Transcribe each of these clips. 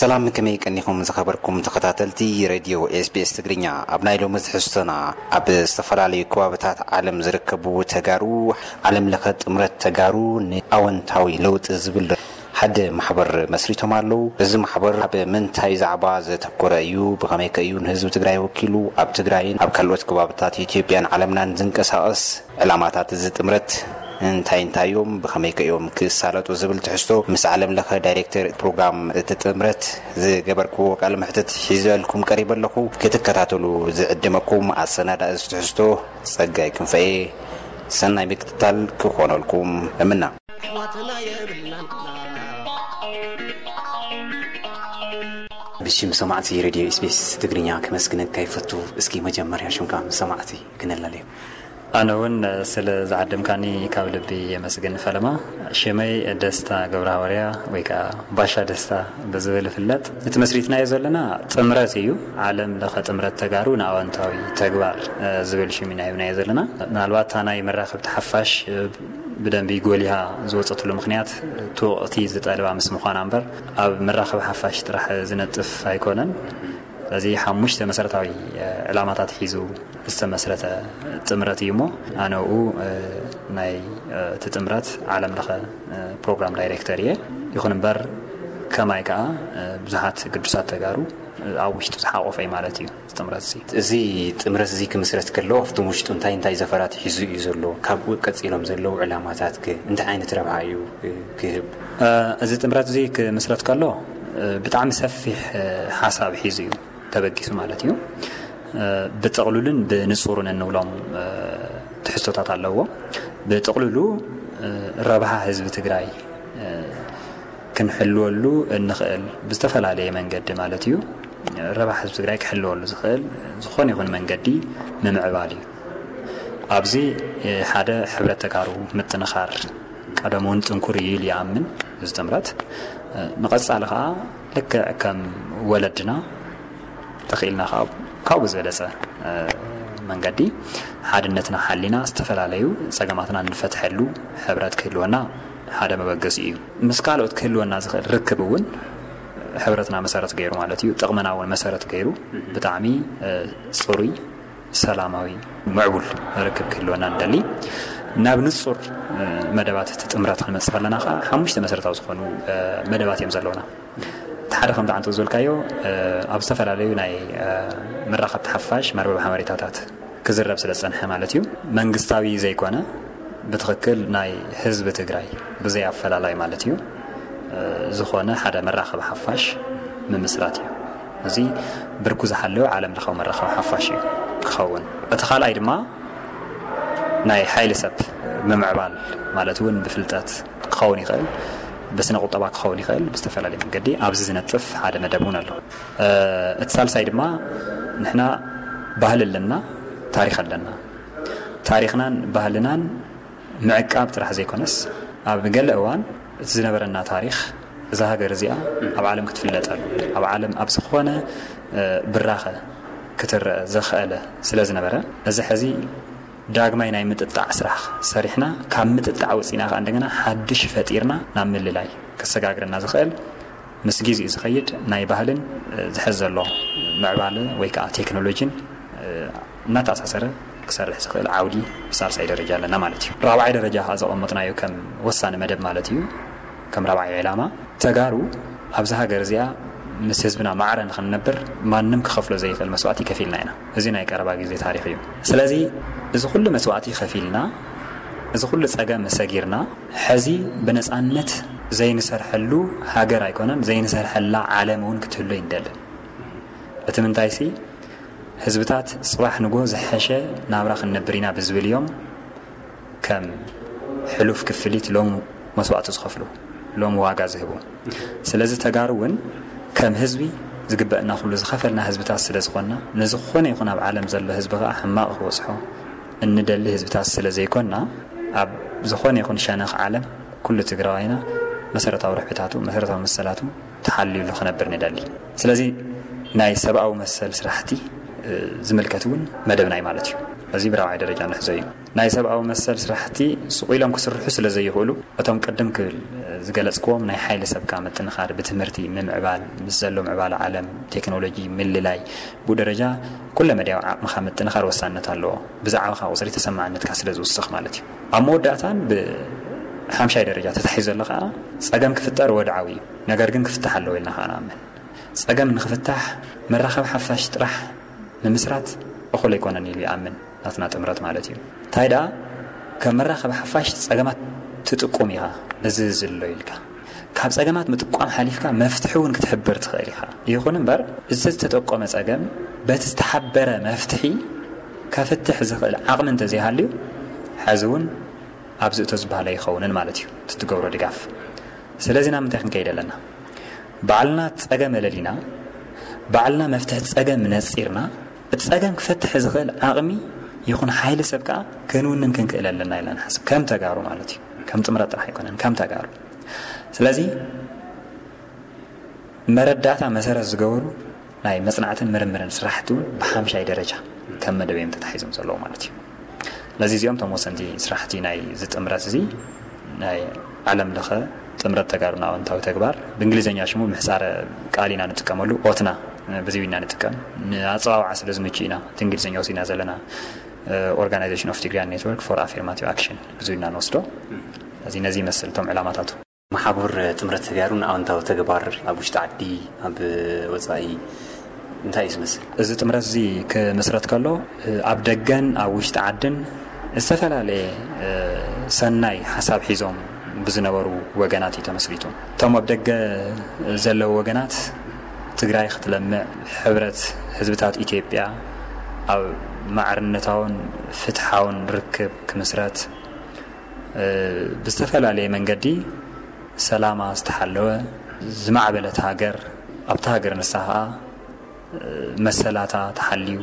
ሰላም፣ ከመይ ቀኒኹም ዝኸበርኩም ተኸታተልቲ ሬድዮ ኤስቢኤስ ትግርኛ? ኣብ ናይ ሎሚ ትሕዝቶና፣ ኣብ ዝተፈላለዩ ከባብታት ዓለም ዝርከቡ ተጋሩ ዓለም ለኸ ጥምረት ተጋሩ ንኣወንታዊ ለውጢ ዝብል ሓደ ማሕበር መስሪቶም ኣለዉ። እዚ ማሕበር ኣብ ምንታይ ዛዕባ ዘተኮረ እዩ? ብኸመይ ከ እዩ ንህዝቢ ትግራይ ወኪሉ ኣብ ትግራይን ኣብ ካልኦት ከባብታት ኢትዮጵያን ዓለምናን ዝንቀሳቐስ? ዕላማታት እዚ ጥምረት እንታይ እንታይ እዮም? ብኸመይ ከ እዮም ክሳለጡ ዝብል ትሕዝቶ ምስ ዓለም ለኸ ዳይሬክተር ፕሮግራም እቲ ጥምረት ዝገበርክዎ ቃለ መሕትት ሒዘልኩም ቀሪበ ኣለኹ። ክትከታተሉ ዝዕድመኩም ኣሰናዳኢ እዚ ትሕዝቶ ጸጋይ ክንፈኤ። ሰናይ ምክትታል ክኾነልኩም እምና። ብሽም ሰማዕቲ ሬድዮ ኤስቢኤስ ትግርኛ ከመስግነካ ይፈቱ። እስኪ መጀመርያ ሽምካ ምስ ሰማዕቲ ክነላለዮ። ኣነ እውን ስለ ዝዓደምካኒ ካብ ልቢ የመስግን ፈለማ። ሽመይ ደስታ ገብረ ሃዋርያ ወይ ከዓ ባሻ ደስታ ብዝብል ይፍለጥ። እቲ መስሪትናዮ ዘለና ጥምረት እዩ። ዓለም ለኸ ጥምረት ተጋሩ ንኣወንታዊ ተግባር፣ እ፣ ዝብል ሽም ኢና ሂብናዮ ዘለና። ምናልባት እታ ናይ መራኸብቲ ሓፋሽ፣ እ፣ ብደንቢ ጎሊሃ ዝወፀትሉ ምኽንያት እቲ ወቕቲ ዝጠልባ ምስ ምዃና እምበር ኣብ መራኸቢ ሓፋሽ ጥራሕ ዝነጥፍ ኣይኮነን። ስለዚ ሓሙሽተ መሰረታዊ፣ እ፣ ዕላማታት ሒዙ ዝተመስረተ ጥምረት እዩ እሞ ኣነ ኡ፣ እ፣ ናይ፣ እ፣ እቲ ጥምረት ዓለም ለኸ፣ እ፣ ፕሮግራም ዳይሬክተር እየ። ይኹን እምበር ከማይ ከዓ፣ እ፣ ብዙሓት ግዱሳት ተጋሩ፣ እ፣ ኣብ ውሽጡ ዝሓቆፈ እዩ ማለት እዩ እዚ ጥምረት እዚ። እዚ ጥምረት እዚ ክምስረት ከሎ ኣብቲ ውሽጡ እንታይ እንታይ ዘፈራት ሒዙ እዩ ዘሎ? ካብኡ ቀፂሎም ዘለዉ ዕላማታት ከ እንታይ ዓይነት ረብሓ እዩ፣ እ፣ ክህብ? እ፣ እዚ ጥምረት እዚ ክምስረት ከሎ፣ እ፣ ብጣዕሚ ሰፊሕ፣ እ፣ ሓሳብ ሒዙ እዩ ተበጊሱ ማለት እዩ። እ፣ ብጥቕሉልን ብንጹርን እንብሎም፣ እ፣ ትሕዝቶታት ኣለዎ። ብጥቕሉሉ፣ እ፣ ረብሓ ህዝቢ ትግራይ፣ እ፣ ክንሕልወሉ እንኽእል ብዝተፈላለየ መንገዲ ማለት እዩ። ረብሓ ህዝቢ ትግራይ ክሕልወሉ ዝኽእል ዝኾነ ይኹን መንገዲ ምምዕባል እዩ። ኣብዚ፣ እ፣ ሓደ ሕብረት ተጋሩ ምጥንኻር ቀደም እውን ጥንኩር እዩ ኢሉ ይኣምን እዚ ጥምረት። እ፣ ንቐጻሊ ኸዓ ልክዕ ከም ወለድና ተኽኢልና ኸዓ ካብኡ ዝበለጸ፣ እ፣ መንገዲ ሓድነትና ሓሊና ዝተፈላለዩ ጸገማትና እንፈትሐሉ ሕብረት ክህልወና ሓደ መበገሲ እዩ። ምስ ካልኦት ክህልወና ዝኽእል ርክብ እውን ሕብረትና መሰረት ገይሩ ማለት እዩ። ጥቕምና እውን መሰረት ገይሩ ብጣዕሚ፣ እ፣ ጽሩይ፣ ሰላማዊ፣ ምዕቡል ርክብ ክህልወና ንደሊ። ናብ ንጹር፣ እ፣ መደባት እቲ ጥምረት ክንመጽእ ከለና ኸዓ ሓሙሽተ መሰረታዊ ዝኾኑ፣ እ፣ መደባት እዮም ዘለውና። እቲ ሓደ ከምቲ ዓንቶ ዝበልካዮ፣ እ፣ ኣብ ዝተፈላለዩ ናይ፣ እ፣ መራኸብቲ ሓፋሽ መርበብ ሓበሬታታት ክዝረብ ስለ ዝጸንሐ ማለት እዩ። መንግስታዊ ዘይኮነ ብትኽክል ናይ ህዝቢ ትግራይ ብዘይ ኣፈላላይ ማለት እዩ፣ እ፣ ዝኾነ ሓደ መራኸቢ ሓፋሽ ምምስራት እዩ። እዚ ብርኩ ዝሓለወ ዓለም ለኻዊ መራኸቢ ሓፋሽ እዩ ክኸውን። እቲ ካልኣይ ድማ ናይ ሓይሊ ሰብ ምምዕባል ማለት እውን ብፍልጠት ክኸውን ይኽእል፣ ብስነ ቁጠባ ክኸውን ይኽእል፣ ብዝተፈላለየ መንገዲ ኣብዚ ዝነጥፍ ሓደ መደብ እውን ኣሎ። እ፣ እቲ ሳልሳይ ድማ ንሕና ባህሊ ኣለና፣ ታሪኽ ኣለና። ታሪኽናን ባህልናን ምዕቃብ ጥራሕ ዘይኮነስ ኣብ ገለ እዋን እቲ ዝነበረና ታሪኽ እዛ ሃገር እዚኣ ኣብ ዓለም ክትፍለጠሉ፣ ኣብ ዓለም ኣብ ዝኾነ፣ እ፣ ብራኸ ክትረአ ዘኽኣለ ስለ ዝነበረ፣ እዚ ሕዚ ዳግማይ ናይ ምጥጣዕ ስራሕ ሰሪሕና፣ ካብ ምጥጣዕ ወፂና ከዓ እንደገና ሓድሽ ፈጢርና ናብ ምልላይ ክሰጋግረና ዝኽእል ምስ ግዜኡ ዝኸይድ ናይ ባህልን፣ እ፣ ዝሕዝ ዘሎ ምዕባለ ወይ ከዓ ቴክኖሎጂን፣ እ፣ እናተኣሳሰረ ክሰርሕ ዝኽእል ዓውዲ ብሳልሳይ ደረጃ ኣለና ማለት እዩ። ራብዓይ ደረጃ ከዓ ዘቐመጥናዮ ከም ወሳኒ መደብ ማለት እዩ፣ ከም ራብዓይ ዕላማ ተጋሩ ኣብዚ ሃገር እዚኣ ምስ ህዝብና ማዕረ ንኽንነብር ማንም ክኸፍሎ ዘይኽእል መስዋእቲ ከፊልና ኢና። እዚ ናይ ቀረባ ግዜ ታሪኽ እዩ። ስለዚ እዚ ኩሉ መስዋእቲ ከፊልና፣ እዚ ኩሉ ጸገም ሰጊርና፣ ሕዚ ብነጻነት ዘይንሰርሐሉ ሃገር ኣይኮነን፣ ዘይንሰርሐላ ዓለም እውን ክትህሉ ኣይንደልን። እቲ ምንታይሲ ህዝብታት ጽባሕ ንግሆ ዝሐሸ ናብራ ክንነብር ኢና ብዝብል እዮም ከም ሕሉፍ ክፍሊት ሎም መስዋእቲ ዝኸፍሉ፣ ሎም ዋጋ ዝህቡ። ስለዚ ተጋሩ እውን ከም ህዝቢ ዝግበእና ኩሉ ዝኸፈልና ህዝብታት ስለ ዝኾንና፣ ንዝኾነ ይኹን ኣብ ዓለም ዘሎ ህዝቢ ከዓ ሕማቕ ክበጽሖ እንደሊ ህዝብታት ስለ ዘይኮንና፣ ኣብ ዝኾነ ይኹን ሸነኽ ዓለም ኩሉ ትግራዋይና መሰረታዊ ርሕብታቱ፣ መሰረታዊ መሰላቱ ተሓልዩሉ ክነብር ንደሊ። ስለዚ ናይ ሰብኣዊ መሰል ስራሕቲ ዝምልከት እውን መደብና እዩ ማለት እዩ። እዚ ብራብዓይ ደረጃ ንሕዞ እዩ። ናይ ሰብኣዊ መሰል ስራሕቲ ስቕ ኢሎም ክስርሑ ስለ ዘይኽእሉ፣ እቶም ቅድም ክብል ዝገለጽክዎም ናይ ሓይሊ ሰብካ ምጥንኻር፣ ብትምህርቲ ምምዕባል፣ ምስ ዘሎ ምዕባለ ዓለም፣ ቴክኖሎጂ ምልላይ፣ ብኡ ደረጃ ኩለ መዳያዊ ዓቕምኻ ምጥንኻር ወሳንነት ኣለዎ። ብዛዕባኻ ቁጽሪ ተሰማዕነትካ ስለ ዝውስኽ ማለት እዩ። ኣብ መወዳእታን ብሓምሻይ ደረጃ ተታሒዙ ዘሎ ከኣ ጸገም ክፍጠር ወድዓዊ እዩ። ነገር ግን ክፍታሕ ኣለዎ ኢልና ከኣ ንኣምን። ጸገም ንኽፍታሕ መራኸቢ ሓፋሽ ጥራሕ ምምስራት እኹል ኣይኮነን ኢሉ ይኣምን ናትና ጥምረት ማለት እዩ። እንታይ ደኣ ከም መራኸቢ ሓፋሽ ጸገማት ትጥቁም ኢኻ፣ እዚ እዚ ኣሎ ኢልካ ካብ ጸገማት ምጥቋም ሓሊፍካ መፍትሒ እውን ክትሕብር ትኽእል ኢኻ። ይኹን እምበር እዚ ዝተጠቆመ ጸገም በቲ ዝተሓበረ መፍትሒ ከፍትሕ ዝኽእል ዓቕሚ እንተዘይሃልዩ፣ ሕዚ እውን ኣብዚ እቶ ዝበሃል ኣይኸውንን ማለት እዩ እቲ ትገብሮ ድጋፍ። ስለዚ ናብ ምንታይ ክንከይድ ኣለና? ባዕልና ጸገም ኣለሊና፣ ባዕልና መፍትሒ ጸገም ነጺርና፣ እቲ ጸገም ክፈትሕ ዝኽእል ዓቕሚ ይኹን ሓይሊ ሰብ ከኣ ክንውንን ክንክእል ኣለና ኢልና ንሓስብ። ከም ተጋሩ ማለት እዩ። ከም ጥምረት ጥራሕ ኣይኮነን፣ ከም ተጋሩ። ስለዚ መረዳእታ መሰረት ዝገበሩ ናይ መጽናዕትን ምርምርን ስራሕቲ እውን ብሓምሻይ ደረጃ ከም መደብ እዮም ተታሒዞም ዘለዉ ማለት እዩ። ስለዚ እዚኦም እቶም ወሰንቲ ስራሕቲ ናይ እዚ ጥምረት እዚ ናይ ዓለም ለኸ ጥምረት ተጋሩና ኣወንታዊ ተግባር፣ ብእንግሊዝኛ ሽሙ ምሕጻረ ቃል ኢና ንጥቀመሉ፣ ኦትና ብዙ ኢና ንጥቀም፣ ንኣጸዋውዓ ስለ ዝምቹ ኢና እቲ እንግሊዝኛ ወሲድና ዘለና። Organization of Tigrayan Network for Affirmative Action ብዙ ኢና ንወስዶ። ስለዚ ነዚ ይመስል እቶም ዕላማታቱ። መሓቡር ጥምረት ተጋሩን ኣወንታዊ ተግባር ኣብ ውሽጢ ዓዲ፣ ኣብ ወጻኢ እንታይ እዩ ዝመስል? እዚ ጥምረት እዚ ክምስረት ከሎ ኣብ ደገን ኣብ ውሽጢ ዓድን ዝተፈላለየ ሰናይ ሓሳብ ሒዞም ብዝነበሩ ወገናት እዩ ተመስሪቱ። እቶም ኣብ ደገ ዘለዉ ወገናት ትግራይ ክትለምዕ፣ ሕብረት ህዝብታት ኢትዮጵያ ኣብ ማዕርነታውን ፍትሓውን ርክብ ክምስረት፣ ብዝተፈላለየ መንገዲ ሰላማ ዝተሓለወ ዝማዕበለት ሃገር፣ ኣብታ ሃገር ንሳ ኸኣ መሰላታ ተሓልዩ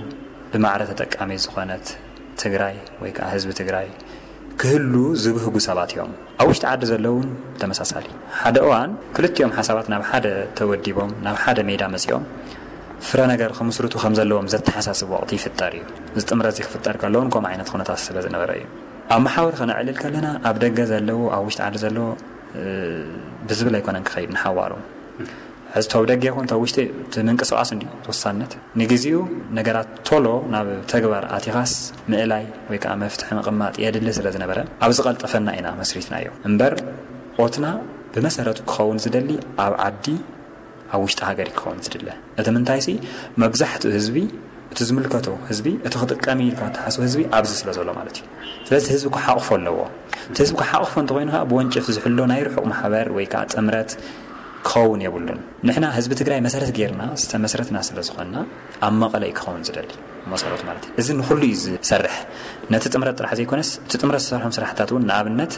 ብማዕረ ተጠቃሚ ዝኾነት ትግራይ ወይ ከዓ ህዝቢ ትግራይ ክህሉ ዝብህጉ ሰባት እዮም። ኣብ ውሽጢ ዓዲ ዘለውን ተመሳሳሊ። ሓደ እዋን ክልቲኦም ሓሳባት ናብ ሓደ ተወዲቦም ናብ ሓደ ሜዳ መፂኦም ፍረ ነገር ክምስርቱ ከም ዘለዎም ዘተሓሳስብ ወቕቲ ይፍጠር እዩ። እዚ ጥምረት እዚ ክፍጠር ከለውን ከምኡ ዓይነት ኩነታት ስለ ዝነበረ እዩ። ኣብ መሓውር ከነዕልል ከለና ኣብ ደገ ዘለዉ ኣብ ውሽጢ ዓዲ ዘለዉ ብዝብል ኣይኮነን ክኸይድ ንሓዋሩ። ሕዚ ተው ደገ ይኹን ተው ውሽጢ እቲ ምንቅስቃስ እንዲ ተወሳነት ንግዚኡ ነገራት ቶሎ ናብ ተግባር ኣቲኻስ ምእላይ ወይ ከዓ መፍትሒ ምቕማጥ የድሊ ስለ ዝነበረ ኣብዚ ቀልጠፈና ኢና መስሪትናዮ እምበር ኦትና ብመሰረቱ ክኸውን ዝደሊ ኣብ ዓዲ ኣብ ውሽጢ ሃገር ክኸውን ዝድለ እቲ ምንታይሲ መብዛሕትኡ ህዝቢ እቲ ዝምልከቶ ህዝቢ እቲ ክጥቀም ኢልካ ተሓስቦ ህዝቢ ኣብዚ ስለ ዘሎ ማለት እዩ። ስለዚ ህዝቢ ክሓቕፎ ኣለዎ። እቲ ህዝቢ ክሓቕፎ እንተኮይኑ ከዓ ብወንጭፍ ዝሕሎ ናይ ርሑቕ ማሕበር ወይ ከዓ ጥምረት ክኸውን የብሉን። ንሕና ህዝቢ ትግራይ መሰረት ጌርና ዝተመስረትና ስለ ዝኾንና ኣብ መቐለ እዩ ክኸውን ዝደሊ መሰረቱ ማለት እዩ። እዚ ንኩሉ እዩ ዝሰርሕ። ነቲ ጥምረት ጥራሕ ዘይኮነስ እቲ ጥምረት ዝሰርሖም ስራሕታት እውን ንኣብነት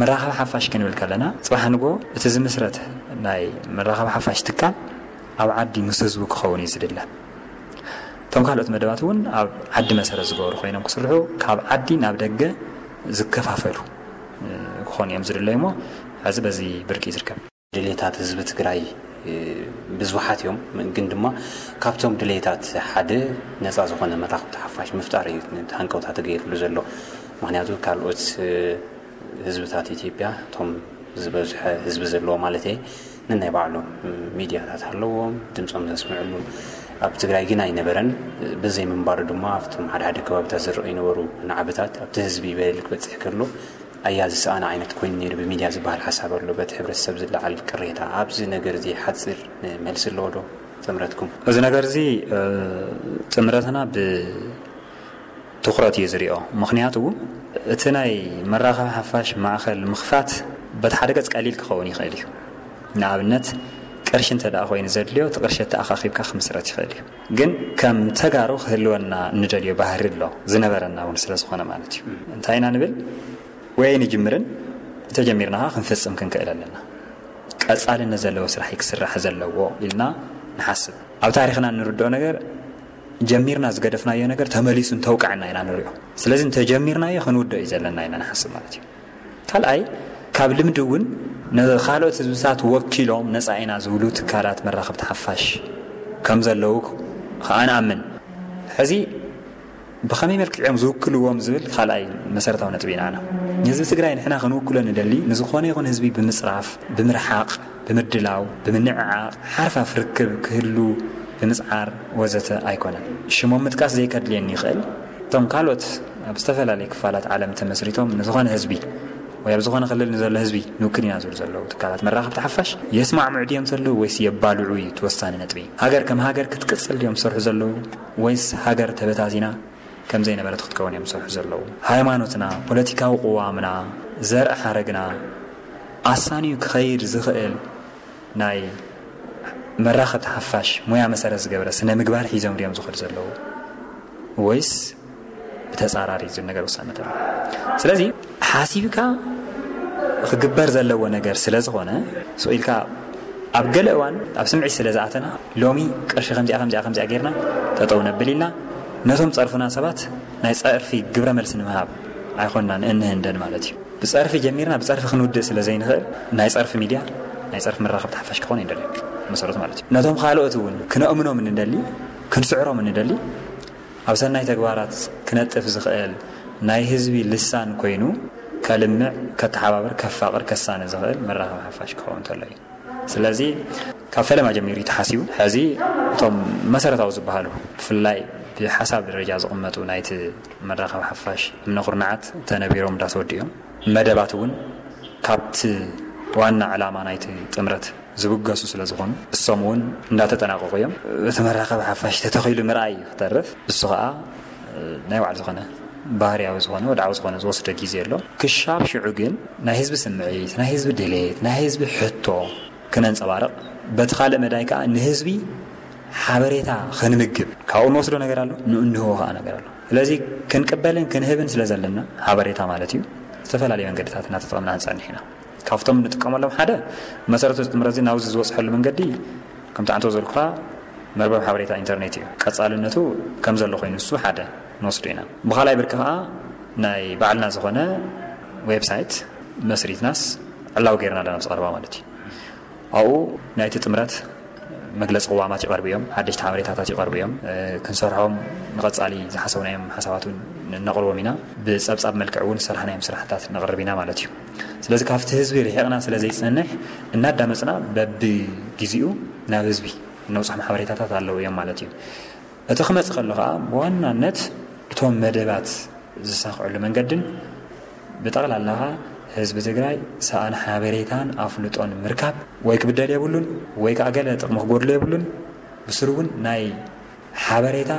መራኸቢ ሓፋሽ ክንብል ከለና ፅባሕ ንጎ እቲ ዝምስረት ናይ መራኸቢ ሓፋሽ ትካል ኣብ ዓዲ ምስ ህዝቡ ክኸውን እዩ ዝድለ። እቶም ካልኦት መደባት እውን ኣብ ዓዲ መሰረት ዝገበሩ ኮይኖም ክስርሑ ካብ ዓዲ ናብ ደገ ዝከፋፈሉ ክኾኑ እዮም ዝድለዩ እሞ ሕዚ በዚ ብርቂ እዩ ዝርከብ። ድሌታት ህዝቢ ትግራይ ብዙሓት እዮም፣ ግን ድማ ካብቶም ድሌታት ሓደ ነፃ ዝኾነ መራኽብቲ ሓፋሽ ምፍጣር እዩ። ሃንቀውታ ተገይርሉ ዘሎ ምክንያቱ ካልኦት ህዝብታት ኢትዮጵያ እቶም ዝበዝሐ ህዝቢ ዘለዎ ማለት እየ ነናይ ባዕሎም ሚድያታት ኣለዎም ድምፆም ዘስምዕሉ። ኣብ ትግራይ ግን ኣይነበረን። ብዘይ ምንባሩ ድማ ኣብቶም ሓደ ሓደ ከባቢታት ዝረኣዩ ነበሩ ናዕብታት ኣብቲ ህዝቢ በደል ክበፅሕ ከሎ ኣያ ዝሰኣነ ዓይነት ኮይኑ ነይሩ። ብሚድያ ዝበሃል ሓሳብ ኣሎ በቲ ሕብረተሰብ ዝለዓል ቅሬታ ኣብዚ ነገር እዚ ሓፂር መልሲ ኣለዎ ዶ ጥምረትኩም? እዚ ነገር እዚ ጥምረትና ብ ትኹረት እዩ ዝሪኦ። ምኽንያቱ እቲ ናይ መራኸቢ ሓፋሽ ማእኸል ምኽፋት በቲ ሓደ ገፅ ቀሊል ክኸውን ይኽእል እዩ። ንኣብነት ቅርሺ እንተ ደኣ ኮይኑ ዘድልዮ እቲ ቅርሺ ኣተኣኻኺብካ ክምስረት ይኽእል እዩ። ግን ከም ተጋሩ ክህልወና እንደልዮ ባህሪ ኣሎ ዝነበረና እውን ስለ ዝኾነ ማለት እዩ። እንታይ ኢና ንብል ወይ ንጅምርን እንተጀሚርና ከዓ ክንፍፅም ክንክእል ኣለና። ቀፃልነት ዘለዎ ስራሕ ክስራሕ ዘለዎ ኢልና ንሓስብ። ኣብ ታሪክና እንርድኦ ነገር ጀሚርና ዝገደፍናዮ ነገር ተመሊሱ እንተውቅዐና ኢና ንሪኦ። ስለዚ እንተጀሚርናዮ ክንውድኦ እዩ ዘለና ኢና ንሓስብ ማለት እዩ። ካልኣይ ካብ ልምዲ እውን ንካልኦት ህዝብታት ወኪሎም ነፃ ኢና ዝብሉ ትካላት መራኸብቲ ሓፋሽ ከም ዘለዉ ከዓ ንኣምን። ሕዚ ብኸመይ መልክዕ እዮም ዝውክልዎም ዝብል ካልኣይ መሰረታዊ ነጥቢ ኢና። ንህዝቢ ትግራይ ንሕና ክንውክሎ ንደሊ፣ ንዝኾነ ይኹን ህዝቢ ብምፅራፍ፣ ብምርሓቕ፣ ብምድላው፣ ብምንዕዓቕ፣ ሓርፋፍ ርክብ ክህሉ ብምፅዓር ወዘተ ኣይኮነን። ሽሞም ምጥቃስ ዘይከድልየኒ ይኽእል። እቶም ካልኦት ኣብ ዝተፈላለየ ክፋላት ዓለም ተመስሪቶም ንዝኾነ ህዝቢ ወይ ኣብ ዝኾነ ክልል ንዘሎ ህዝቢ ንውክል ኢና ዝብሉ ዘለዉ ትካላት መራኸብቲ ሓፋሽ የስማዕምዑ ድዮም ዘለዉ ወይስ የባልዑ እዩ እቲ ወሳኒ ነጥቢ። ሃገር ከም ሃገር ክትቅፅል ድዮም ዝሰርሑ ዘለዉ ወይስ ሃገር ተበታቲና ከም ዘይነበረት ክትከውን እዮም ዝሰርሑ ዘለዉ። ሃይማኖትና፣ ፖለቲካዊ ቅዋምና፣ ዘርኢ ሓረግና ኣሳንዩ ክኸይድ ዝኽእል ናይ መራኸብቲ ሓፋሽ ሞያ መሰረት ዝገበረ ስነ ምግባር ሒዞም ድዮም ዝኸዱ ዘለዉ ወይስ ብተፃራሪ ዝብል ነገር ውሳነታት። ስለዚ ሓሲብካ ክግበር ዘለዎ ነገር ስለ ዝኾነ፣ ስቕ ኢልካ ኣብ ገለ እዋን ኣብ ስምዒት ስለ ዝኣተና፣ ሎሚ ቅርሺ ከምዚኣ ከምዚኣ ከምዚኣ ጌርና ጠጠው ነብል ኢልና ነቶም ጸርፉና ሰባት ናይ ጸርፊ ግብረ መልሲ ንምሃብ ኣይኮንና ንእንህንደን ማለት እዩ። ብጸርፊ ጀሚርና ብጸርፊ ክንውድእ ስለ ዘይንኽእል፣ ናይ ጸርፊ ሚድያ፣ ናይ ጸርፊ መራኸብቲ ሓፋሽ ክኾን ይደሊ መሰረቱ ማለት እዩ። ነቶም ካልኦት እውን ክነእምኖም እንደሊ፣ ክንስዕሮም እንደሊ፣ ኣብ ሰናይ ተግባራት ክነጥፍ ዝኽእል ናይ ህዝቢ ልሳን ኮይኑ ከልምዕ፣ ከተሓባብር፣ ከፋቕር፣ ከሳነ ዝኽእል መራኸቢ ሓፋሽ ክኸውን እንተሎ እዩ። ስለዚ ካብ ፈለማ ጀሚሩ እዩ ተሓሲቡ። ሕዚ እቶም መሰረታዊ ዝበሃሉ ብፍላይ ብሓሳብ ደረጃ ዝቕመጡ ናይቲ መራኸቢ ሓፋሽ እምነ ኩርናዓት ተነቢሮም እንዳተወድኡ እዮም። መደባት እውን ካብቲ ዋና ዕላማ ናይቲ ጥምረት ዝብገሱ ስለ ዝኾኑ እሶም እውን እንዳተጠናቀቁ እዮም። እቲ መራኸቢ ሓፋሽ ተተኺሉ ምርኣይ እዩ ክተርፍ፣ እሱ ከዓ ናይ ባዕሉ ዝኾነ ባህርያዊ ዝኾነ ወድዓዊ ዝኾነ ዝወስዶ ግዜ ኣሎ። ክሻብ ሽዑ ግን ናይ ህዝቢ ስምዒት፣ ናይ ህዝቢ ድሌት፣ ናይ ህዝቢ ሕቶ ክነንጸባርቕ፣ በቲ ካልእ መዳይ ከዓ ንህዝቢ ሓበሬታ ክንምግብ ካብኡ ንወስዶ ነገር ኣሎ፣ ንእንህቦ ከዓ ነገር ኣሎ። ስለዚ ክንቅበልን ክንህብን ስለ ዘለና ሓበሬታ ማለት እዩ፣ ዝተፈላለዩ መንገድታት እናተጠቐምና ክንጸንሕ ኢና። ካብቶም ንጥቀመሎም ሓደ መሰረቱ ጥምረት እዚ ናብዚ ዝበፅሐሉ መንገዲ ከምቲ ዓንቶ ዘልኩኻ መርበብ ሓበሬታ ኢንተርኔት እዩ። ቀጻልነቱ ከም ዘሎ ኮይኑ እሱ ሓደ ንወስዶ ኢና። ብኻልኣይ ብርኪ ከዓ ናይ ባዕልና ዝኾነ ዌብሳይት መስሪትናስ ዕላዊ ገይርና ኣለና ምስ ቀረባ ማለት እዩ። ኣብኡ ናይቲ ጥምረት መግለፂ ቅዋማት ይቐርቡ እዮም፣ ሓደሽቲ ሓበሬታታት ይቐርቡ እዮም። ክንሰርሖም ንቐፃሊ ዝሓሰብናዮም ሓሳባት እውን ነቕርቦም ኢና። ብፀብፃብ መልክዕ እውን ዝሰርሓናዮም ስራሕታት ነቕርብ ኢና ማለት እዩ። ስለዚ ካብቲ ህዝቢ ርሒቕና ስለ ዘይፀንሕ እናዳመፅና በብግዜኡ ናብ ህዝቢ እነውፅሖም ሓበሬታታት ኣለዉ እዮም ማለት እዩ። እቲ ክመፅእ ከሎ ከዓ ብዋናነት እቶም መደባት ዝሳኽዕሉ መንገድን ብጠቕላላ ከዓ ህዝቢ ትግራይ ሰኣን ሓበሬታን ኣፍልጦን ምርካብ ወይ ክብደል የብሉን ወይ ከዓ ገለ ጥቕሚ ክጎድሎ የብሉን። ብስሩ እውን ናይ ሓበሬታ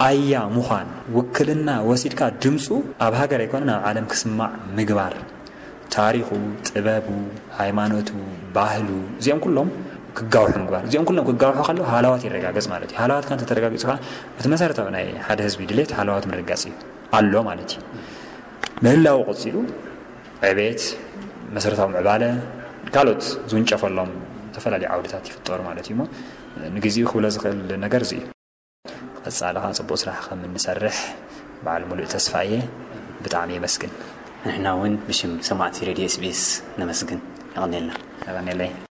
ኣያ ምዃን፣ ውክልና ወሲድካ ድምፁ ኣብ ሃገር ኣይኮነን ኣብ ዓለም ክስማዕ ምግባር፣ ታሪኹ፣ ጥበቡ፣ ሃይማኖቱ፣ ባህሉ፣ እዚኦም ኩሎም ክጋውሑ ምግባር። እዚኦም ኩሎም ክጋውሑ ከለዉ ሃለዋት ይረጋገጽ ማለት እዩ። ሃለዋት ከ እንተተረጋጊጹ ከኣ እቲ መሰረታዊ ናይ ሓደ ህዝቢ ድሌት ሃለዋት ምርጋጽ እዩ ኣሎ ማለት እዩ። ምህላው ቀጺሉ ዕቤት፣ መሰረታዊ ምዕባለ፣ ካልኦት ዝውንጨፈሎም ዝተፈላለዩ ዓውድታት ይፍጠሩ ማለት እዩ። እሞ ንግዜኡ ክብሎ ዝኽእል ነገር እዚ እዩ። ቀጻሊ ኸዓ ጽቡቕ ስራሕ ከም እንሰርሕ በዓል ሙሉእ ተስፋ እየ። ብጣዕሚ የመስግን። ንሕና እውን ብሽም ሰማዕቲ ሬድዮ ኤስ ቢ ኤስ ነመስግን። የቐንየልና። የቐንየለይ።